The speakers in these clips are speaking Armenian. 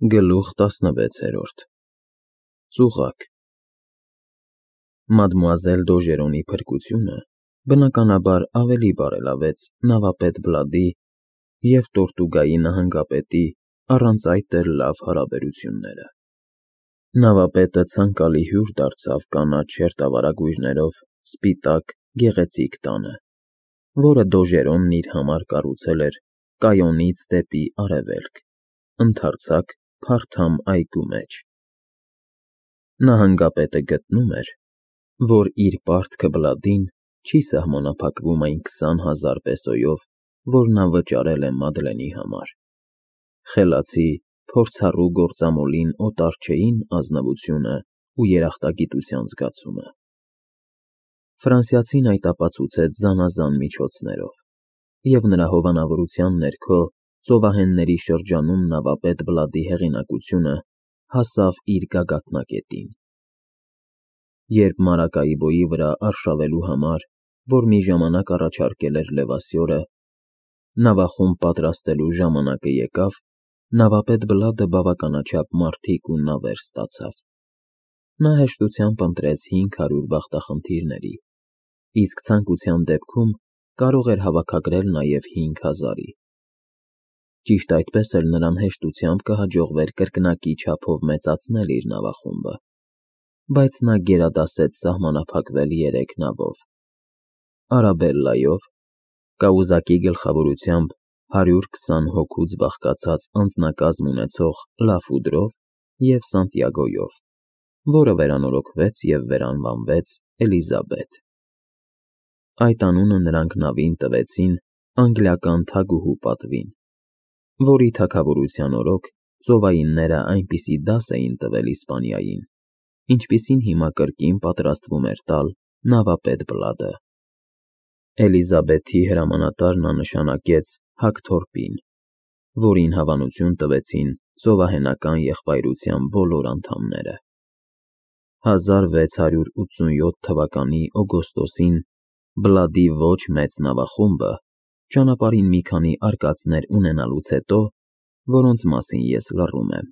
Գլուխ 16 Ծուղակ Մադմուազել Դոժերոնի փրկությունը, բնականաբար, ավելի բարելավեց նավապետ Բլադի և Տորտուգայի նահանգապետի առանց այդ էլ լավ հարաբերությունները։ Նավապետը ցանկալի հյուր դարձավ կանաչ հերթավարագույրներով սպիտակ, գեղեցիկ տանը, որը Դոժերոնն իր համար կառուցել էր Կայոնից դեպի արևելք, ընդարձակ, փարթամ այգու մեջ։ Նահանգապետը գտնում էր, որ իր պարտքը Բլադին չի սահմանափակվում այն 20,000 պեսոյով, որ նա վճարել է Մադլենի համար։ Խելացի, փորձառու գործամոլին օտար չէին ազնվությունն ու երախտագիտության զգացումը։ Ֆրանսիացին այդ ապացուցեց զանազան միջոցներով, և նրա հովանավորության ներքո ծովահենների շրջանում նավապետ Բլադի հեղինակությունը հասավ իր գագաթնակետին։ Երբ Մարակայբոյի վրա արշավելու համար, որ մի ժամանակ առաջարկել էր Լևասյորը, նավախումբ պատրաստելու ժամանակը եկավ, նավապետ Բլադը բավականաչափ մարդիկ ու նավեր ստացավ։ Նա հեշտությամբ ընտրեց 500 բախտախնդիրների, իսկ ցանկության դեպքում կարող էր հավաքագրել նաև 5000-ի։ Ճիշտ այդպես էլ նրան հեշտությամբ կհաջողվեր կրկնակի չափով մեծացնել իր նավախումբը, բայց նա գերադասեց սահմանափակվել 3 նավով՝ Արաբելլայով, Կաուզակի գլխավորությամբ 120 հոգուց բաղկացած անձնակազմ ունեցող Լաֆուդրով և Սանտիագոյով, որը վերանորոգվեց և վերանվանվեց Էլիզաբեթ։ Այդ անունը նրանք նավին տվեցին անգլիական թագուհու պատվին, որի թագավորության օրոք ծովայինները այնպիսի դաս էին տվել Իսպանիային, ինչպիսին հիմա կրկին պատրաստվում էր տալ նավապետ Բլադը։ Էլիզաբեթի հրամանատարն նա նշանակեց Հակթորպին, որին հավանություն տվեցին ծովահենական եղբայրության բոլոր անդամները։ 1687 թվականի օգոստոսին Բլադի ոչ մեծ նավախումբը, ճանապարհին մի քանի արկածներ ունենալուց հետո, որոնց մասին ես լռում եմ,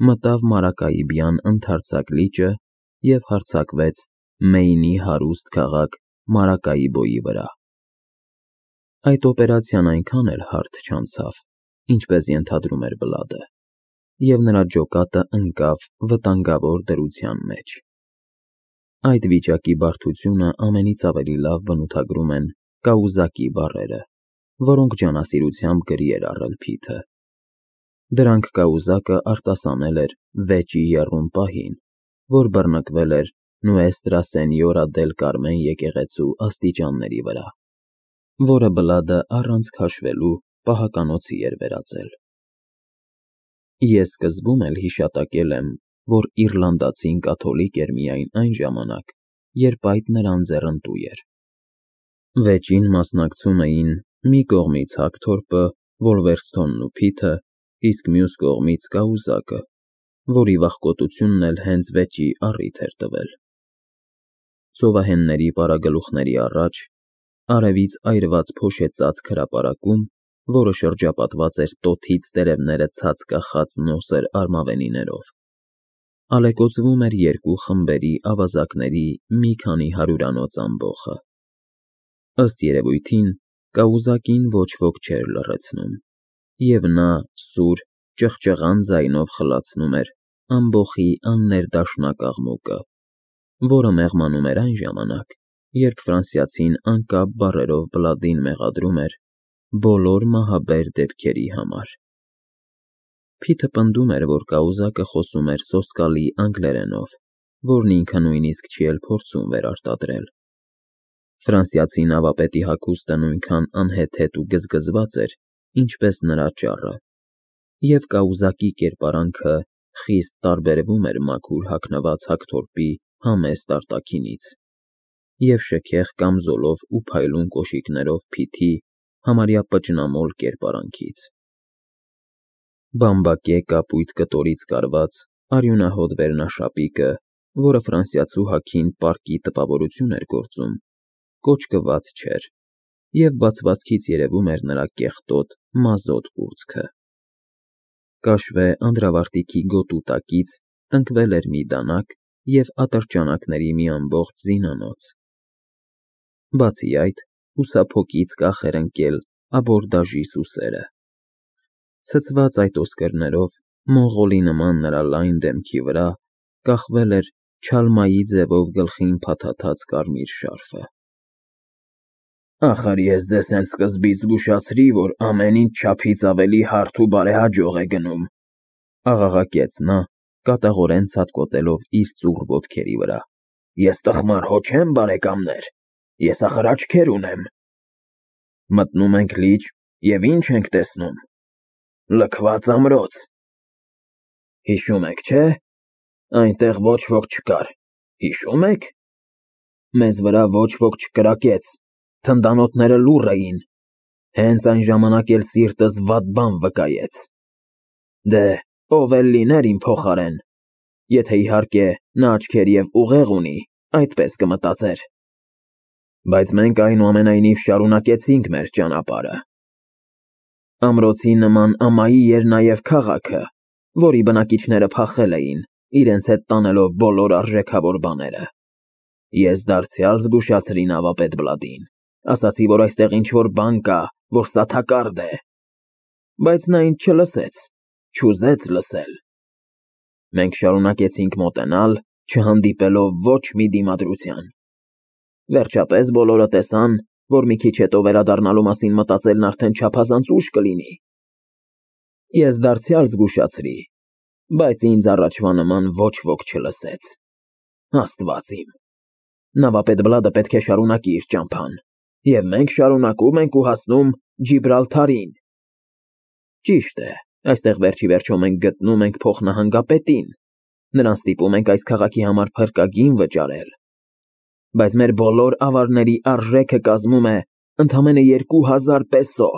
մտավ Մարակայիբյան ընդարձակ լիճը և հարձակվեց Մեյնի հարուստ քաղաք Մարակայիբոյի վրա։ Այդ օպերացիան այնքան էլ հարթ չանցավ, ինչպես ենթադրում էր Բլադը, և նրա ջոկատը ընկավ վտանգավոր դրության մեջ։ Այդ վիճակի բարդությունը ամենից ավելի լավ բնութագրում են Կաուզակի բառերը, որոնք ջանասիրությամբ գրի էր առել Փիթը։ Դրանք Կաուզակը արտասանել էր վեճի եռում պահին, որ բռնկվել էր Նուեստրա Սենյորա դել Կարմեն եկեղեցու աստիճանների վրա, որը Բլադը առանց քաշվելու պահականոցի էր վերածել։ Ես սկզբում էլ հիշատակել եմ, որ իռլանդացին կաթոլիկ էր միայն այն ժամանակ, երբ այդ նրան ձեռնտու էր։ Վեճին մասնակցում էին մի կողմից Հակթորպը, Վոլվերսթոնն ու Փիթը, իսկ մյուս կողմից Կաուզակը, որի վախկոտությունն էլ հենց վեճի առիթ էր տվել։ Ծովահենների պարագլուխների առաջ, արևից այրված փոշեցածք հրապարակում, որը շրջապատված էր տոթից տերևները ցած կախած նոսր արմավենիներով, ալեկոծվում էր երկու խմբերի ավազակների մի քանի հարյուրանոց ամբոխը։ Ըստ երևույթին, Կաուզակին ոչ ոք չէր լռեցնում, և նա սուր, ճղճղան ձայնով խլացնում էր ամբոխի աններդաշնակ աղմուկը, որը մեղմանում էր այն ժամանակ, երբ ֆրանսիացին անկապ բառերով Բլադին մեղադրում էր բոլոր մահաբեր դեպքերի համար։ Փիթը պնդում էր, որ Կաուզակը խոսում էր սոսկալի անգլերենով, որն ինքը նույնիսկ չի էլ փորձում վերարտադրել։ Ֆրանսիացի նավապետի հագուստը նույնքան անհեթեթ ու գզգզված էր, ինչպես նրա ճառը, և Կաուզակի կերպարանքը խիստ տարբերվում էր մաքուր հագնված Հակթորպի համեստ արտաքինից և շքեղ կամզոլով ու փայլուն կոշիկներով Փիթի համարյա պճնամոլ կերպարանքից։ Բամբակե կապույտ կտորից կարված արյունահոտ վերնաշապիկը, որը ֆրանսիացու հագին պարկի տպավորություն էր գործում, կոճկված չէր, և բացվածքից երևում էր նրա կեղտոտ, մազոտ կուրծքը։ Կաշվե անդրավարտիքի գոտու տակից տնկվել էր մի դանակ և ատրճանակների մի ամբողջ զինանոց։ Բացի այդ, հուսափոքից կախ էր ընկել աբորդաժի սուսերը։ Ցցված այդ ոսկրներով, մոնղոլի նման նրա լայն դեմքի վրա կախվել էր չալմայի ձևով գլխին փաթաթած կարմիր շարֆը։ «Ախր ես ձեզ հենց սկզբից զգուշացրի, որ ամեն ինչ չափից ավելի հարթ ու բարեհաջող է գնում», աղաղակեց նա, կատաղորեն ցատկոտելով իր ծուռ ոտքերի վրա։ «Ես տխմար հո չեմ, բարեկամներ, ես ախր աչքեր ունեմ։ Մտնում ենք լիճ, և ինչ ենք տեսնում։ Լքված ամրոց։ Հիշում եք, չէ՞, այնտեղ ոչ ոք չկար, հիշում եք։ Մեզ վրա ոչ ոք չկրակեց, թնդանոթները լուռ էին, հենց այն ժամանակ էլ սիրտս վատ բան վկայեց։ Դե, ով էլ լիներ իմ փոխարեն, եթե իհարկե նա աչքեր և ուղեղ ունի, այդպես կմտածեր։ Բայց մենք այնուամենայնիվ շարունակեցինք մեր ճանապարհը։ Ամրոցի նման ամայի էր նաև քաղաքը, որի բնակիչները փախել էին, իրենց հետ տանելով բոլոր արժեքավոր բաները։ Ես դարձյալ զգուշացրի նավապետ Բլադին, ասացի, որ այստեղ ինչ-որ բան կա, որ սաթակարդ է։ Բայց նա ինձ չլսեց, չուզեց լսել։ Մենք շարունակեցինք մոտենալ, չհանդիպելով ոչ մի դիմադրության։ Վերջապես բոլորը տեսան, որ մի քիչ հետո վերադառնալու մասին մտածելն արդեն չափազանց ուշ կլինի։ Ես դարձյալ զգուշացրի, բայց ինձ առաջվա նման ոչ ոք չլսեց։ Աստված իմ։ Նավապետ Բլադը պետք է շարունակի իր ճամփան, և մենք շարունակում ենք ու հասնում Ջիբրալթարին։ Ճիշտ է, այստեղ վերջիվերջո մենք գտնում ենք փոխնահանգապետին, նրան ստիպում ենք այս քաղաքի համար փրկագին վճարել։ Բայց մեր բոլոր ավարների արժեքը կազմում է ընդամենը 2000 պեսո։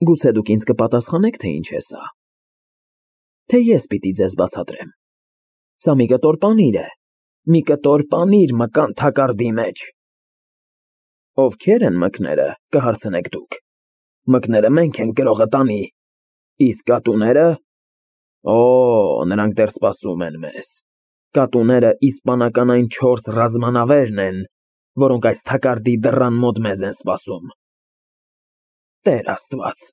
Գուցե դուք ինձ կպատասխանեք, թե ինչ է սա։ Թե ես պիտի ձեզ բացատրեմ։ Սա մի կտոր պանիր է, մի կտոր պանիր մկան թակարդի մեջ։ Ովքեր են մկները, կհարցնեք դուք։ Մկները մենք ենք գրողը տանի, իսկ կատուները… Օ, նրանք դեռ սպասում են մեզ։ Կատուները իսպանական այն 4 ռազմանավերն են, որոնք այս թակարդի դռան մոտ մեզ են սպասում։ Տեր Աստված,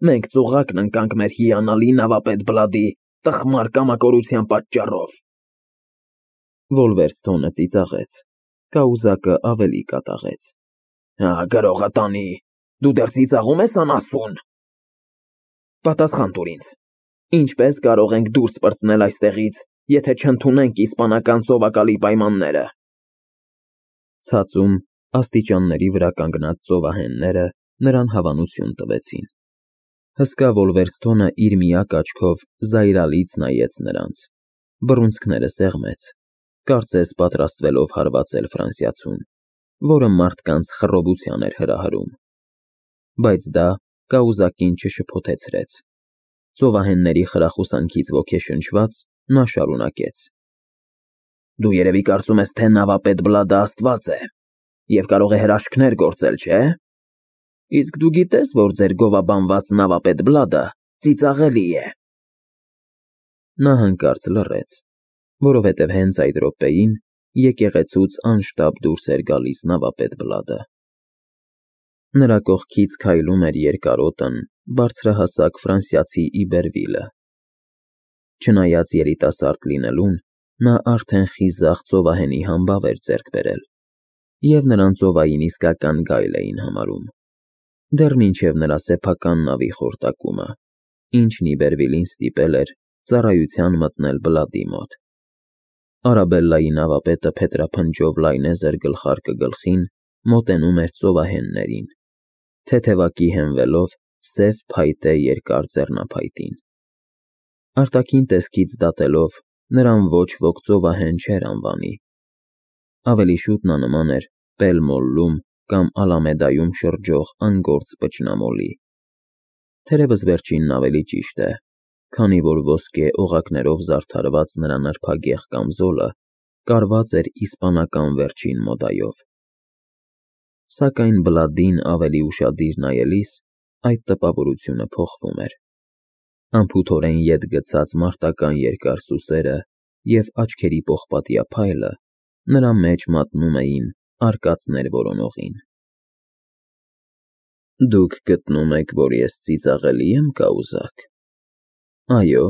մենք ծուղակն ընկանք մեր հիանալի նավապետ Բլադի տխմար կամակորության պատճառով։ Վոլվերստոնը ծիծաղեց, կաուզակը ավելի կատաղեց։ Գրողը տանի, դու դեռ ծիծաղում ես անասուն։ Պատասխան տուր ինձ, ինչպես կարող ենք դուրս պրծնել այստեղից, եթե չընդունենք իսպանական ծովակալի պայմանները։ Ցածում աստիճանների վրա կանգնած ծովահենները նրան հավանություն տվեցին։ Հսկա Վոլվերստոնը իր միակ աչքով զայրալից նայեց նրանց, բռունցքները սեղմեց, կարծես պատրաստվելով հարվածել ֆրանսիացուն, որը մարդկանց խռովության էր հրահրում։ Բայց դա կաուզակին չշփոթեցրեց։ Ծովահենների խրախուսանքից ոգեշնչված նա շարունակեց. Դու երևի կարծում ես, թե նավապետ Բլադը Աստված է և կարող է հրաշքներ գործել, չէ՞։ Իսկ դու գիտես, որ ձեր գովաբանված նավապետ Բլադը ծիծաղելի է։ Նա հանկարծ լռեց, որովհետև հենց այդ րոպեին եկեղեցուց անշտապ դուրս էր գալիս նավապետ Բլադը։ Նրա կողքից քայլում էր երկարոտն, բարձրահասակ ֆրանսիացի Իբերվիլը։ Չնայած երիտասարդ լինելուն, նա արդեն խիզախ ծովահենի համբավ էր ձեռք բերել, և նրան ծովային իսկական գայլ էին համարում, դեռ մինչև նրա սեփական նավի խորտակումը, ինչն Իբերվիլին ստիպել էր ծառայության մտնել Բլադի մոտ։ Արաբելլայի նավապետը փետրափնջով լայնեզր գլխարկը գլխին մոտենում էր ծովահեններին, թեթևակի հենվելով սև փայտե երկար ձեռնափայտին։ Արտաքին տեսքից դատելով, նրան ոչ ոք ծովահեն չէր անվանի։ Ավելի շուտ նա նման էր Պելմոլլում կամ Ալամեդայում շրջող անգործ պճնամոլի։ Թերևս վերջինն ավելի ճիշտ է, քանի որ ոսկե օղակներով զարդարված նրա նրբագեղ կամզոլը կարված էր իսպանական վերջին մոդայով։ Սակայն Բլադին ավելի ուշադիր նայելիս այդ տպավորությունը փոխվում էր։ Անփութորեն ետ գցած մարտական երկար սուսերը և աչքերի պողպատյա փայլը նրա մեջ մատնում էին արկածներ որոնողին։ Դուք գտնում եք, որ ես ծիծաղելի եմ, կաուզակ։ Այո՞,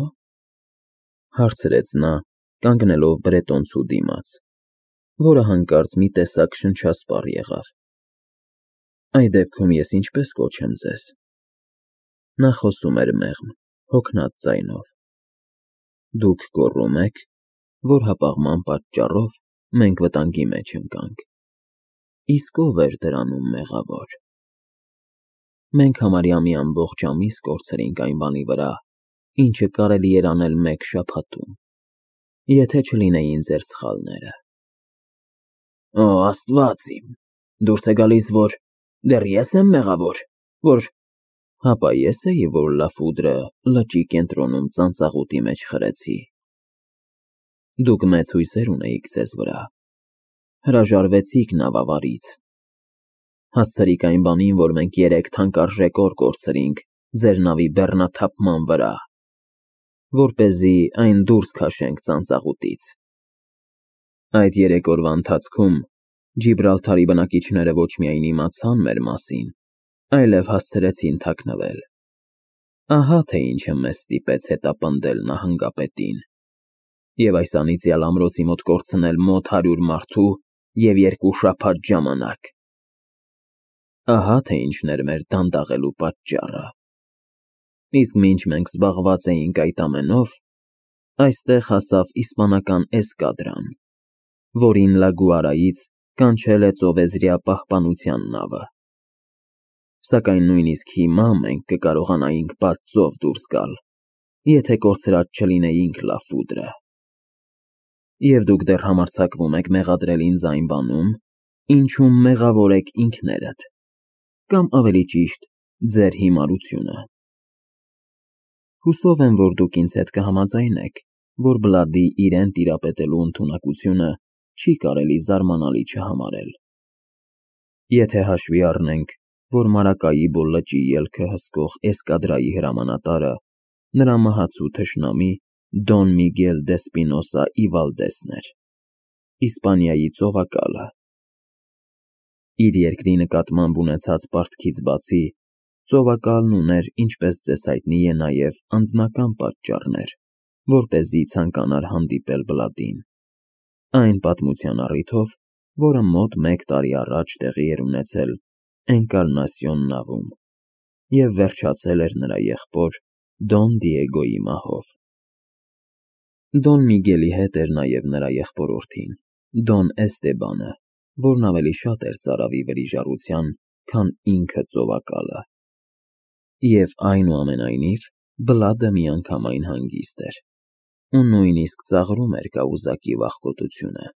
հարցրեց նա, կանգնելով բրետոնցու դիմաց, որը հանկարծ մի տեսակ շնչասպառ եղավ։ Այդ դեպքում ես ինչպես կոչեմ ձեզ։ Նա խոսում էր մեղմ, հոգնած ձայնով։ Դուք գոռում եք, որ հապաղման պատճառով մենք վտանգի մեջ ընկանք։ Իսկ ով էր դրանում մեղավոր։ Մենք համարյա մի ամբողջ ամիս կորցրինք այն բանի վրա, ինչը կարելի էր անել մեկ շաբաթում, եթե չլինեին ձեր սխալները։ Օ, Աստված իմ, դուրս է գալիս, որ դեռ ես եմ մեղավոր, որ… Հապա ես էի, որ լաֆուդրը լճի կենտրոնում ծանծաղուտի մեջ խրեցի։ Դուք մեծ հույսեր ունեիք ձեզ վրա, հրաժարվեցիք նավավարից, հասցրիք այն բանին, որ մենք 3 թանկարժեք օր կորցրինք ձեր նավի բեռնաթափման վրա, որպեսզի այն դուրս քաշենք ծանծաղուտից։ Այդ 3 օրվա ընթացքում Ջիբրալթարի բնակիչները ոչ միայն իմացան մեր մասին, այլև հասցրեցին թաքնվել։ Ահա թե ինչը մեզ ստիպեց հետապնդել նահանգապետին և այս անիծյալ ամրոցի մոտ կորցնել մոտ 100 մարդու և 2 շաբաթ ժամանակ։ Ահա թե ինչն էր մեր դանդաղելու պատճառը։ Իսկ մինչ մենք զբաղված էինք այդ ամենով, այստեղ հասավ իսպանական էսկադրան, որին Լա Գուարայից կանչել է ծովեզրյա պահպանության նավը։ Սակայն նույնիսկ հիմա մենք կկարողանայինք բաց ծով դուրս գալ, եթե կորցրած չլինեինք լաֆուդրը։ Եվ դուք դեռ համարձակվում եք մեղադրել ինձ այն բանում, ինչում մեղավոր եք ինքներդ, կամ ավելի ճիշտ, ձեր հիմարությունը։ Հուսով եմ, որ դուք ինձ հետ կհամաձայնեք, որ Բլադի իրեն տիրապետելու ընդունակությունը չի կարելի զարմանալի չհամարել։ Եթե հաշվի առնենք, որ Մարակայիբո լճի ելքը հսկող էսկադրայի հրամանատարը նրա մահացու թշնամի Դոն Միգել դե Սպինոսա ի Վալդեսն էր, Իսպանիայի ծովակալը։ Իր երկրի նկատմամբ ունեցած պարտքից բացի, ծովակալն ուներ, ինչպես ձեզ հայտնի է, նաև անձնական պատճառներ, որպեսզի ցանկանար հանդիպել Բլադին։ Այն պատմության առիթով, որը մոտ 1 տարի առաջ տեղի էր ունեցել Էնկարնասիոն նավում և վերջացել էր նրա եղբոր Դոն Դիեգոյի մահով։ Դոն Միգելի հետ էր նաև նրա եղբորորդին, Դոն Էստեբանը, որն ավելի շատ էր ծարավի վրիժառության, քան ինքը ծովակալը։ Եվ այնուամենայնիվ, Բլադը միանգամայն հանգիստ էր, ու նույնիսկ ծաղրում էր կաուզակի վախկոտությունը։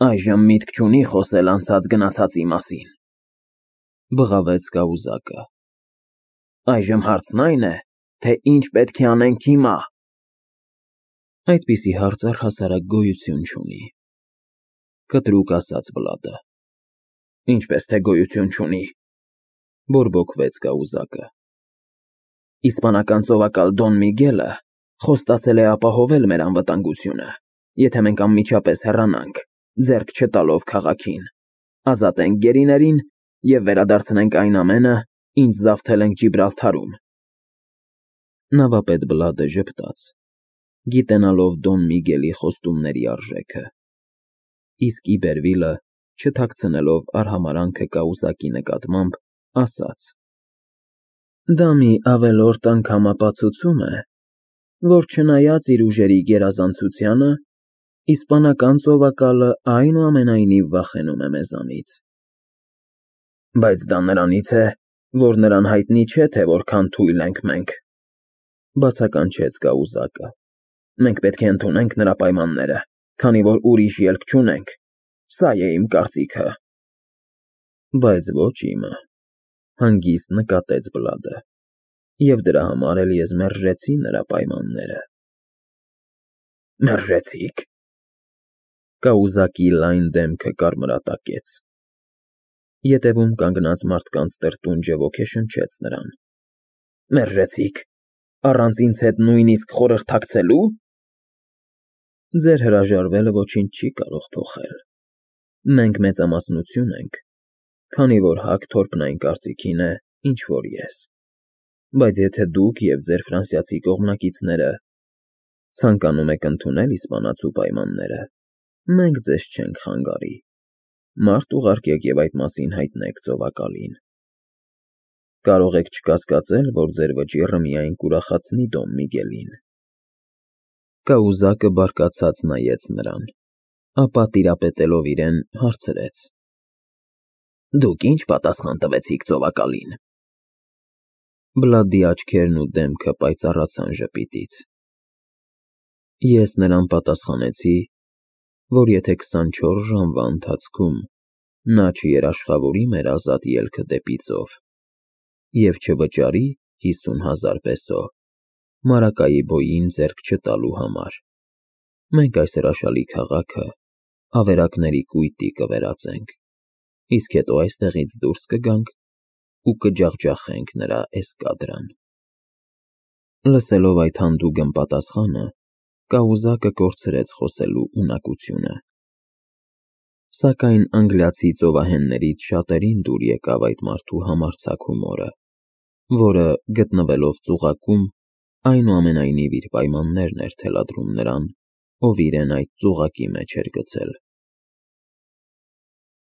Այժմ միտք չունի խոսել անցած գնացածի մասին, բղավեց կաուզակը։ Այժմ հարցն այն է, թե ինչ պետք է անենք հիմա։ Այդպիսի հարց առհասարակ գոյություն չունի, կտրուկ ասաց Բլադը։ Ինչպես թե գոյություն չունի, բորբոքվեց կաուզակը։ Իսպանական ծովակալ Դոն Միգելը խոստացել է ապահովել մեր անվտանգությունը, եթե մենք անմիջապես հեռանանք, ձեռք չտալով քաղաքին, ազատենք գերիներին և վերադարձնենք այն ամենը, ինչ զավթել ենք Ջիբրալթարում։ Նավապետ Բլադը ժպտաց, գիտենալով Դոն Միգելի խոստումների արժեքը։ Իսկ Իբերվիլը, չթաքցնելով արհամարհանքը կաուզակի նկատմամբ, ասաց. Դա մի ավելորդ անգամ ապացուցում է, որ չնայած իր ուժերի գերազանցությանը, իսպանական ծովակալը այնուամենայնիվ վախենում է մեզանից։ Բայց դա նրանից է, որ նրան հայտնի չէ, թե որքան թույլ ենք մենք, բացականչեց կաուզակը։ Մենք պետք է ընդունենք նրա պայմանները, քանի որ ուրիշ ելք չունենք։ Սա է իմ կարծիքը։ Բայց ոչ իմը, հանգիստ նկատեց Բլադը, և դրա համար էլ ես մերժեցի նրա պայմանները։ Մերժեցիք։ Կաուզակի լայն դեմքը կարմրատակեց։ Ետևում կանգնած մարդկանց տրտունջը ոգեշնչեց նրան։ Մերժեցիք, Առանց ինձ հետ նույնիսկ խորհրդակցելու։ Ձեր հրաժարվելը ոչինչ չի կարող փոխել։ Մենք մեծամասնություն ենք, քանի որ Հակթորփն այն կարծիքին է, ինչ որ ես։ Բայց եթե դուք եւ ձեր ֆրանսիացի կողմնակիցները ցանկանում եք ընդունել իսպանացու պայմանները, մենք ձեզ չենք խանգարի։ Մարդ ուղարկեք եւ այդ մասին հայտնեք ծովակալին։ Կարող եք չկասկածել, որ ձեր վճիռը միայն կուրախացնի Դոն Միգելին։ Կաուզակը բարկացած նայեց նրան, ապա տիրապետելով իրեն հարցրեց. Դուք ինչ պատասխան տվեցիք ծովակալին։ Բլադի աչքերն ու դեմքը պայծառացան ժպիտից։ Ես նրան պատասխանեցի, որ եթե 24 ժամվա ընթացքում նա չերաշխավորի մեր ազատ ելքը դեպի ծով և չվճարի 50,000 պեսո Մարակայիբոյին ձեռք չտալու համար, մենք այս հրաշալի քաղաքը ավերակների կույտի կվերածենք, իսկ հետո այստեղից դուրս կգանք ու կջախջախենք նրա էսկադրան։ Լսելով այդ հանդուգն պատասխանը, Կաուզակը կորցրեց խոսելու ունակությունը։ Սակայն անգլիացի ծովահեններից շատերին դուր եկավ այդ մարդու համարձակ հումորը, որը, գտնվելով ծուղակում, այնուամենայնիվ իր պայմաններն էր թելադրում նրան, ով իրեն այդ ծուղակի մեջ էր գցել։